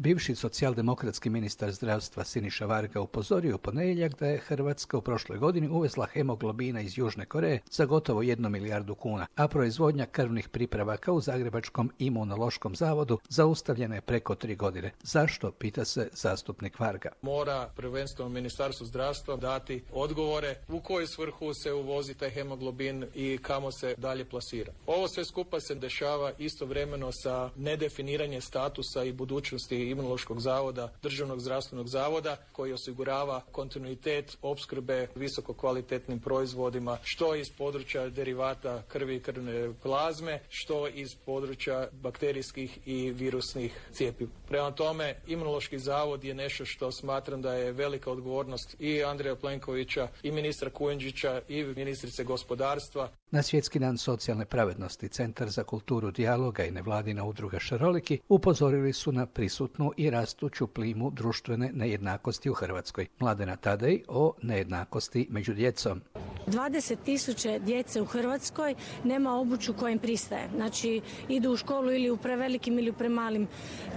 Bivši socijaldemokratski ministar zdravstva Siniša Varga upozorio u ponedjeljak da je Hrvatska u prošloj godini uvezla hemoglobina iz Južne Koreje za gotovo 1 milijardu kuna, a proizvodnja krvnih pripravaka u Zagrebačkom imunološkom zavodu zaustavljena je preko 3 godine. Zašto, pita se zastupnik Varga. Mora prvenstveno Ministarstvo zdravstva dati odgovore u koju svrhu se uvozi taj hemoglobin i kamo se dalje plasira. Ovo sve skupa se dešava istovremeno sa nedefiniranjem statusa i budućnosti Imunološkog zavoda, Državnog zdravstvenog zavoda, koji osigurava kontinuitet opskrbe visoko kvalitetnim proizvodima, što iz područja derivata krvi i krvne plazme, što iz područja bakterijskih i virusnih cjepiva. Prema tome, Imunološki zavod je nešto što smatram da je velika odgovornost i Andreja Plenkovića, i ministra Kujundžića, i ministrice gospodarstva. Na Svjetski dan socijalne pravednosti Centar za kulturu dijaloga i nevladina udruga Šaroliki upozorili su na prisutnu i rastuću plimu društvene nejednakosti u Hrvatskoj. Mladena Tadej o nejednakosti među djecom. 20.000 djece u Hrvatskoj nema obuću koja im pristaje. Znači, idu u školu ili u prevelikim ili u premalim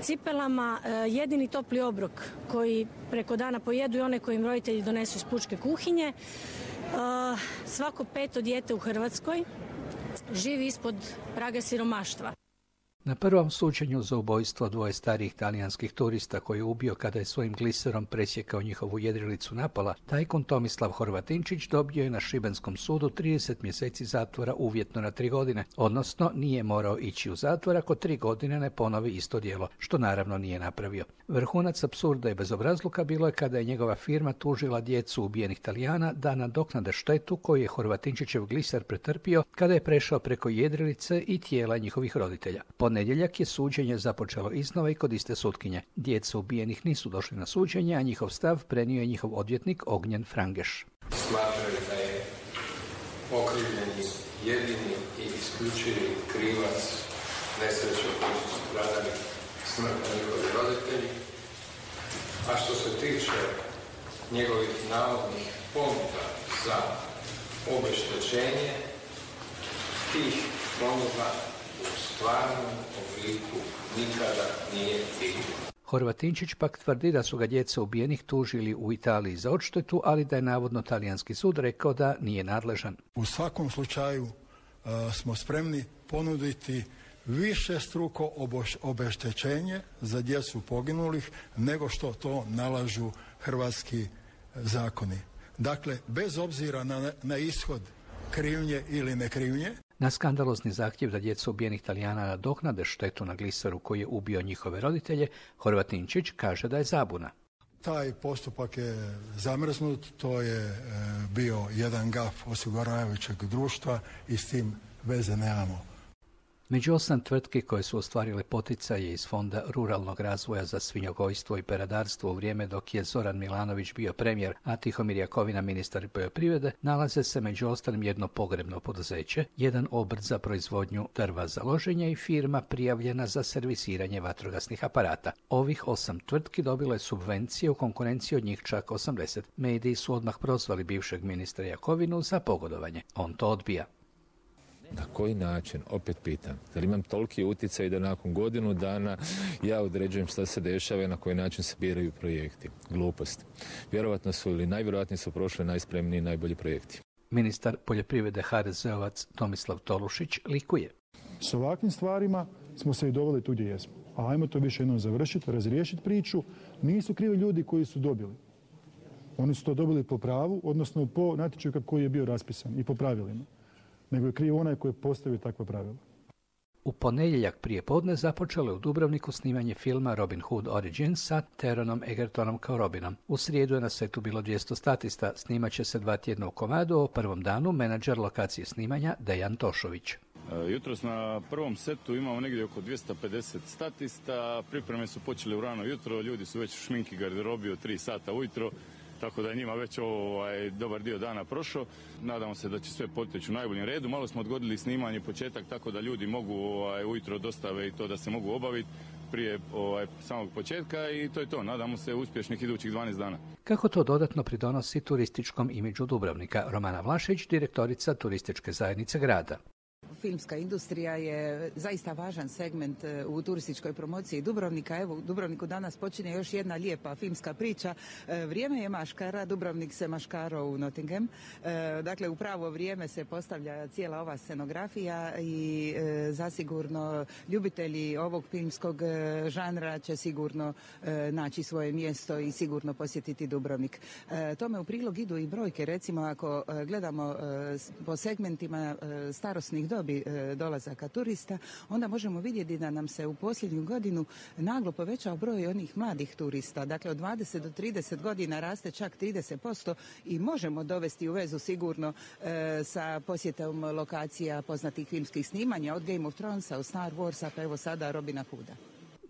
cipelama. Jedini topli obrok koji preko dana pojedu i one koje im roditelji donesu iz pučke kuhinje. Svako 5. dijete u Hrvatskoj živi ispod praga siromaštva. Na prvom suđenju za ubojstvo 2 starijih talijanskih turista koji je ubio kada je svojim gliserom presjekao njihovu jedrilicu Napola, tajkun Tomislav Horvatinčić dobio je na šibenskom sudu 30 mjeseci zatvora uvjetno na 3 godine, odnosno nije morao ići u zatvor ako 3 godine ne ponovi isto djelo, što naravno nije napravio. Vrhunac apsurda i bezobrazluka bilo je kada je njegova firma tužila djecu ubijenih Talijana da nadoknade štetu koju je Horvatinčićev gliser pretrpio kada je prešao preko jedrilice i tijela njihovih roditelja. Ponedjeljak je suđenje započelo iznova i kod iste sutkinje. Djeca ubijenih nisu došli na suđenje, a njihov stav prenio je njihov odvjetnik Ognjen Frangeš. Smatraju da je okrivljeni jedini i isključivi krivac nesreće u kojoj su stradali smrtno njihovi roditelji, a što se tiče njegovih navodnih ponuda za obeštećenje, tih ponuda u stvarnom obliku nikada nije bilo. Horvatinčić pak tvrdi da su ga djeca ubijenih tužili u Italiji za odštetu, ali da je navodno talijanski sud rekao da nije nadležan. U svakom slučaju smo spremni ponuditi višestruko obeštećenje za djecu poginulih nego što to nalažu hrvatski zakoni. Dakle, bez obzira na ishod krivnje ili nekrivnje. Na skandalozni zahtjev da djeca ubijenih Talijana nadoknade štetu na gliseru koji je ubio njihove roditelje, Horvatinčić kaže da je zabuna. Taj postupak je zamrznut, to je bio jedan gaf osiguravajućeg društva i s tim veze nemamo. Među 8 tvrtki koje su ostvarile poticaje iz Fonda ruralnog razvoja za svinjogojstvo i peradarstvo u vrijeme dok je Zoran Milanović bio premijer, a Tihomir Jakovina ministar poljoprivrede, nalaze se među ostalim jedno pogrebno poduzeće, jedan obrt za proizvodnju drva za loženje i firma prijavljena za servisiranje vatrogasnih aparata. Ovih 8 tvrtki dobilo je subvencije u konkurenciji od njih čak 80. Mediji su odmah prozvali bivšeg ministra Jakovinu za pogodovanje. On to odbija. Na koji način, opet pitam, jer imam toliki utjecaj da nakon godinu dana ja određujem šta se dešava i na koji način se biraju projekti. Glupost. Vjerovatno su ili najvjerojatnije su prošli najspremniji i najbolji projekti. Ministar poljoprivrede HDZ-ovac Tomislav Tolušić likuje. S ovakvim stvarima smo se i doveli tu gdje jesmo. A ajmo to više jednom završiti, razriješiti priču. Nisu krivi ljudi koji su dobili. Oni su to dobili po pravu, odnosno po natječaju koji je bio raspisan i po pravilima. Nego je kriv onaj koji je postavio takva pravila. U ponedjeljak prije podne započelo je u Dubrovniku snimanje filma Robin Hood Origins sa Teronom Egertonom kao Robinom. U srijedu je na setu bilo 200 statista, snimat će se 2 tjedna u komadu, o prvom danu menadžer lokacije snimanja Dejan Tošović. Jutros na prvom setu imamo negdje oko 250 statista, pripreme su počele u rano jutro, ljudi su već u šminki garderobi od 3 sata ujutro. Tako da je njima već dobar dio dana prošao. Nadamo se da će sve poteći u najboljem redu. Malo smo odgodili snimanje početak tako da ljudi mogu ujutro dostave i to da se mogu obaviti prije samog početka i to je to. Nadamo se uspješnih idućih 12 dana. Kako to dodatno pridonosi turističkom imidžu Dubrovnika? Romana Vlašić, direktorica turističke zajednice grada. filmska industrija je zaista važan segment u turističkoj promociji Dubrovnika. Evo, u Dubrovniku danas počinje još jedna lijepa filmska priča. Vrijeme je maškara, Dubrovnik se maškaro u Nottingham. Dakle, u pravo vrijeme se postavlja cijela ova scenografija i zasigurno ljubitelji ovog filmskog žanra će sigurno naći svoje mjesto i sigurno posjetiti Dubrovnik. Tome u prilog idu i brojke. Recimo, ako gledamo po segmentima starosnih dobi dolazaka turista, onda možemo vidjeti da nam se u posljednju godinu naglo povećao broj onih mladih turista. Dakle, od 20 do 30 godina raste čak 30% i možemo dovesti u vezu sigurno sa posjetom lokacija poznatih filmskih snimanja, od Game of Thronesa, od Star Warsa, pa evo sada Robina Hooda.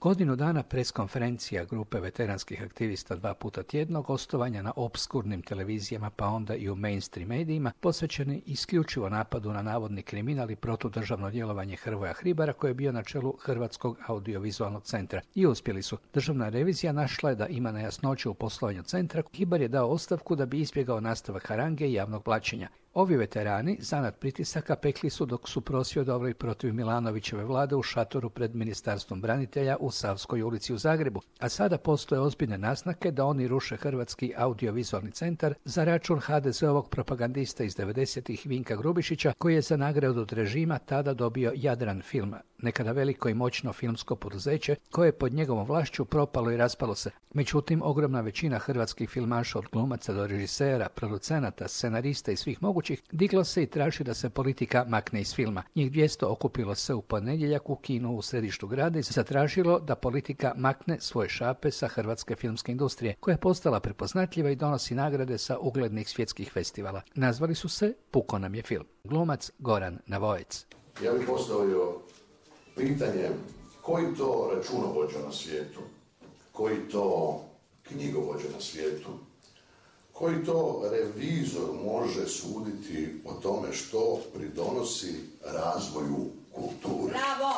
Godinu dana preskonferencija grupe veteranskih aktivista 2 puta tjedno, gostovanja na opskurnim televizijama pa onda i u mainstream medijima, posvećeni isključivo napadu na navodni kriminal i protudržavno djelovanje Hrvoja Hribara koji je bio na čelu Hrvatskog audiovizualnog centra. I uspjeli su. Državna revizija našla je da ima nejasnoće u poslovanju centra. Hribar je dao ostavku da bi izbjegao nastavak harange i javnog blaćenja. Ovi veterani, zanat pritisaka, pekli su dok su prosvjedovali protiv Milanovićeve vlade u šatoru pred Ministarstvom branitelja u Savskoj ulici u Zagrebu, a sada postoje ozbiljne naznake da oni ruše Hrvatski audiovizualni centar za račun HDZ-ovog propagandista iz 90-ih Vinka Grubišića, koji je za nagradu od režima tada dobio Jadran film, nekada veliko i moćno filmsko poduzeće koje je pod njegovom vlašću propalo i raspalo se. Međutim, ogromna većina hrvatskih filmaša od glumaca do režisera, producenata, scenarista i svih mogućih diglo se i traži da se politika makne iz filma. Njih 200 okupilo se u ponedjeljak u kinu u središtu grada i zatražilo da politika makne svoje šape sa hrvatske filmske industrije, koja je postala prepoznatljiva i donosi nagrade sa uglednih svjetskih festivala. Nazvali su se Puko nam je film. Glumac Goran Navojec. Ja bih postavio pitanje koji to računovođa na svijetu, koji to knjigovođa na svijetu, koji to revizor može suditi o tome što pridonosi razvoju kulture. Bravo!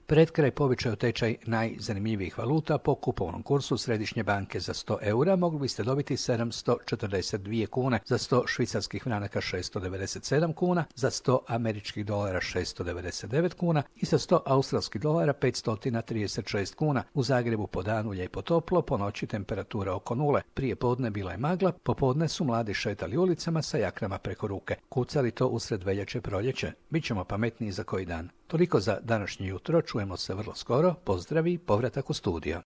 Pred kraj povećao tečaj najzanimljivijih valuta. Po kupovnom kursu Središnje banke za 100 eura mogli biste dobiti 742 kune, za 100 švicarskih franaka 697 kuna, za 100 američkih dolara 699 kuna i za 100 australskih dolara 536 kuna. U Zagrebu po danu lijepo toplo, po noći temperatura oko nule. Prije podne bila je magla, popodne su mladi šetali ulicama sa jaknama preko ruke. Kucali to usred veljače proljeće. Bićemo pametniji za koji dan. Toliko za današnje jutro, čujemo se vrlo skoro, pozdravi, povratak u studio.